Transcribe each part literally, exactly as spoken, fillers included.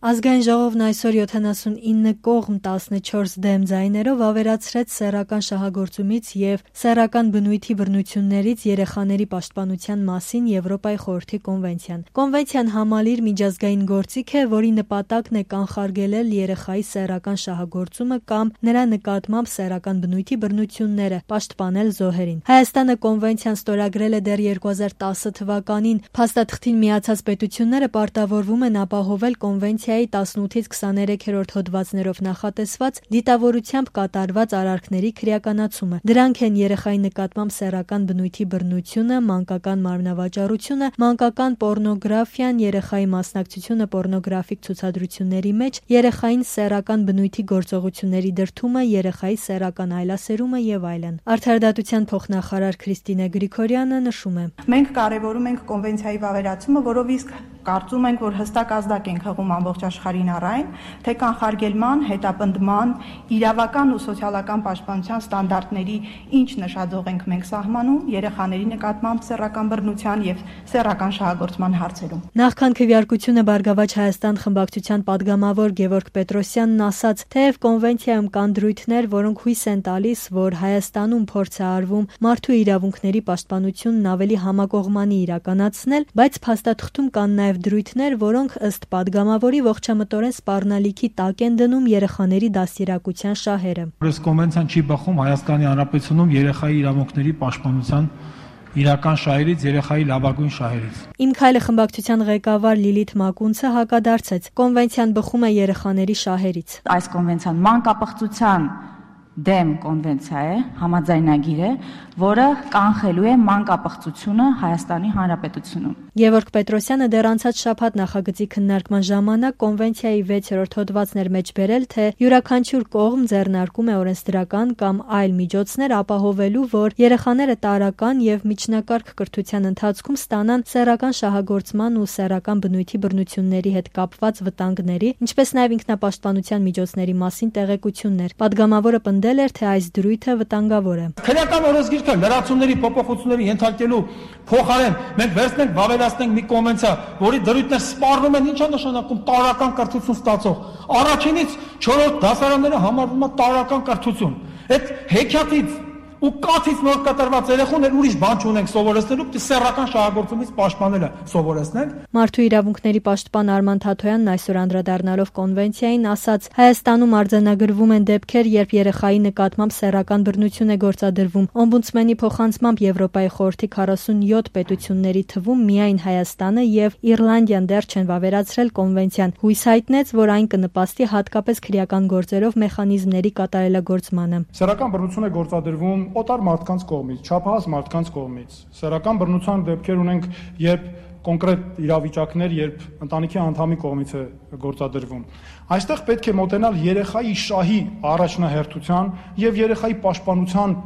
Ազգային ժողովն այսօր յոթանասունինը կողմ տասնչորս դեմ ձայներով ավերացրեց սեռական շահագործումից և սեռական բնույթի բռնություններից երեխաների պաշտպանության մասին Եվրոպայի խորհրդի կոնվենցիան։ Կոնվենցիան համալիր միջազգային գործիք է, որի նպատակն է կանխարգելել երեխայի սեռական շահագործումը կամ նրա նկատմամբ սեռական բնույթի բռնությունները, պաշտպանել զոհերին։ Հայաստանը կոնվենցիան ստորագրել է դեռ երկու հազար տասը թվականին։ Փաստաթղթին միացած պետությունները պարտավորվում են ապահովել կոնվենցիայի տասնութից քսաներեքերորդ հոդվածներով նախատեսված դիտավորությամբ կատարված արարքների քրեականացումը։ Դրանք են երեխայի նկատմամբ սեռական բնույթի բռնությունը, մանկական մարմնավաճառությունը, մանկական պոռնոգրաֆիան, երեխայի մասնակցությունը պոռնոգրաֆիկ ցուցադրությունների մեջ, երեխային սեռական բնույթի գործողությունների դրդումը, երեխայի սեռական այլասերումը եւ այլն։ Արդարադատության փոխնախարար Քրիստինե Գրիգորյանը նշում է. Մենք կարևորում ենք կոնվենցիայի վավերացումը, որով իսկ կարծում ենք, որ հստակ ազդակ ենք հղում ամբողջ աշխարհին առայն, թե կանխարգելման, հետապնդման, իրավական ու սոցիալական պաշտպանության ստանդարտների ինչ նշաձող ենք մենք սահմանում երեխաների նկատմամբ սեռական բռնության եւ սեռական շահագործման հարցերում։ Նախքան քվեարկությունը Բարգավաճ Հայաստան խմբակցության падգամավոր Գևորգ Պետրոսյանն ասաց, թեև կոնվենցիայում կան դրույթներ, որոնք հույս են տալիս, որ Հայաստանում փորձ է արվում մարդու իրավունքների պաշտպանությունն ավելի համակողմանի իրականացնել, բայց փաստաթղթում կան նաեւ դրույթներ, որոնք ըստ падգամավորի ողջամտորեն սպառնալիքի տակ են դնում երեխաների դաստիարակության շահերը։ Այս կոնվենցիան չի բխում Հայաստանի Հանրապետությունում երեխայի իրավունքների պաշտպանության իրական շահերից, երեխայի լավագույն շահերից։ Իմ քայլը խմբակցության ղեկավար Լիլիթ Մակունցը հակադարձեց. Կոնվենցիան բխում է երեխաների շահերից։ Այս կոնվենցիան մանկապղծության դեմ կոնվենցիա է, համաձայնագիր է, որը կանխելու է մանկապղծությունը Հայաստանի Հանրապետությունում։ Գևորգ Պետրոսյանը դեռ անցած շաբաթ նախագծի քննարկման ժամանակ կոնվենցիայի վեցերորդ հոդվածներ մեջ բերել, թե յուրաքանչյուր կողմ ձեռնարկում է օրենսդրական կամ այլ միջոցներ ապահովելու, որ երեխաները տարրական եւ միջնակարգ կրթության ընթացքում ստանան սեռական շահագործման ու սեռական բնույթի բռնությունների հետ կապված վտանգների, ինչպես նաեւ ինքնապաշտպանության միջոցների մասին տեղեկություններ։ Պատգամավորը պնդել էր, թե այս դրույթը վտանգավոր է։ Քրեական օրենսգիրքը լրացումների, փոփոխությունների ենթարկելու փոխարեն մենք վերցնենք վավերացնենք մի կոնվենցիա, որի դրույթներ սպառնում են, ի՞նչ է նշանակում տարրական կրթություն ստացող։ Առաջինից չորրորդ դասարանները համարվում է տարրական կրթություն։ Այդ հեքիաթից ու կաթից նոր կատարված երեխաներ ուրիշ բան չունենք սովորեցնելու, պիտի սեռական շահագործումից պաշտպանելը սովորեցնենք։ Մարդու իրավունքների պաշտպան Արման Թաթոյանն այսօր անդրադառնալով կոնվենցիային ասաց. Հայաստանում արձանագրվում են դեպքեր, երբ երեխայի նկատմամբ սեռական բռնություն է գործադրվում։ Օմբուդսմենի փոխանցմամբ Եվրոպայի խորհրդի քառասունյոթ պետությունների թվում միայն Հայաստանը եւ Իռլանդիան դեռ չեն վավերացրել կոնվենցիան։ Հույս հայտնեց, որ այն կնպաստի հատկապես քրեական գործերով մեխանիզմների կատարելագործմանը։ Սեռական բռնություն է գործադրվում օտար մարդկանց կողմից, չափահաս մարդկանց կողմից։ Սեռական բռնության դեպքեր ունենք, երբ կոնկրետ իրավիճակներ, երբ ընտանիքի անդամի կողմից է գործադրվում։ Այստեղ պետք է մոտենալ երեխայի շահի առաջնահերթության եւ երեխայի պաշտպանության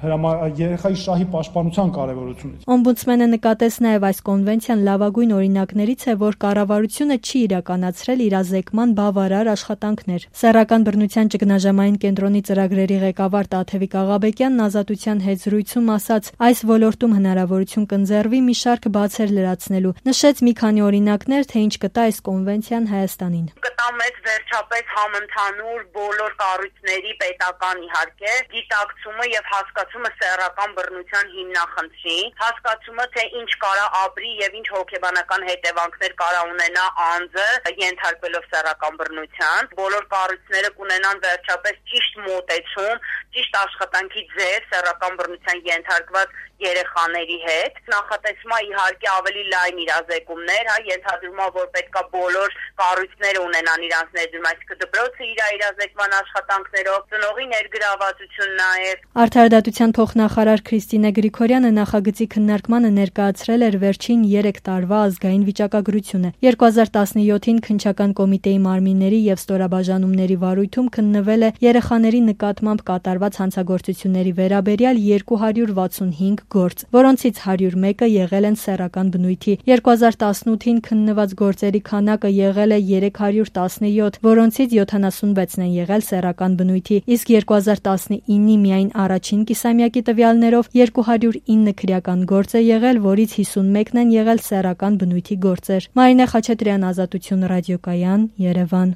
երեխայի շահի պաշտպանության կարևորությունից։ Օմբուդսմենը նկատեց նաև այս կոնվենցիան լավագույն օրինակներից է, որ կառավարությունը չի իրականացրել իրազեկման բավարար աշխատանքներ։ Սեռական բռնության ճգնաժամային կենտրոնի ծրագրերի ղեկավար Տաթևիկ Աղաբեկյանն Ազատության հետ զրույցում ասաց, այս ոլորտում հնարավորություն կընձեռվի մի շարք բացեր լրացնելու։ Նշեց մի քանի օրինակներ, թե ինչ կտա այս կոնվենցիան Հայաստանին։ Կտա մեծ վերջապես համընդհանուր բոլոր կառույցների պետական իհարկե գիտակցումը եւ հասկացումը սեռական բռնության հիմնախնդրի, հասկացումը, թե ինչ կարա ապրի եւ ինչ հոգեբանական հետևանքներ կարա ունենա անձը ենթարկվելով սեռական բռնության, բոլոր կառույցները կունենան վերջապես ճիշտ մոտեցում, ճիշտ աշխատանքի ձև սեռական բռնության ենթարկված երեխաների հետ։ Նախատեսվում է իհարկե ավելի լայն իրազեկումներ, հա, ենթադրվում է, որ պետքա բոլոր կառույցները ունենան իրանց ներդրում, այսինքն դպրոցը իր իրազեկման աշխատանքներով, ծնողի ներգրավվածություն նաեւ։ Արդարադատության փոխնախարար Քրիստինե Գրիգորյանը նախագծի քննարկմանը ներկայացրել էր վերջին երեք տարվա ազգային վիճակագրությունը։ երկու հազար տասնյոթին քննչական կոմիտեի մարմինների եւ ստորաբաժանումների վարույթում քննվել է երեխաների նկատմամբ կատարված հանցագործությունների վերաբերյալ երկու հարյուր վաթսունհինգ գործ, որոնցից հարյուր մեկը եղել են սեռական բնույթի։ երկու հազար տասնութին քննված գործերի քանակը եղել է երեք հարյուր տասնյոթ, որոնցից յոթանասունվեցն են եղել սեռական բնույթի, իսկ երկու հազար տասնինի միայն առաջին կիսամյակի տվյալներով երկու հարյուր ինը քրեական գործ է եղել, որից հիսունմեկն են եղել սեռական բնույթի գործեր։ Մարինե Խաչատրյան, Ազատություն ռադիոկայան, Երևան։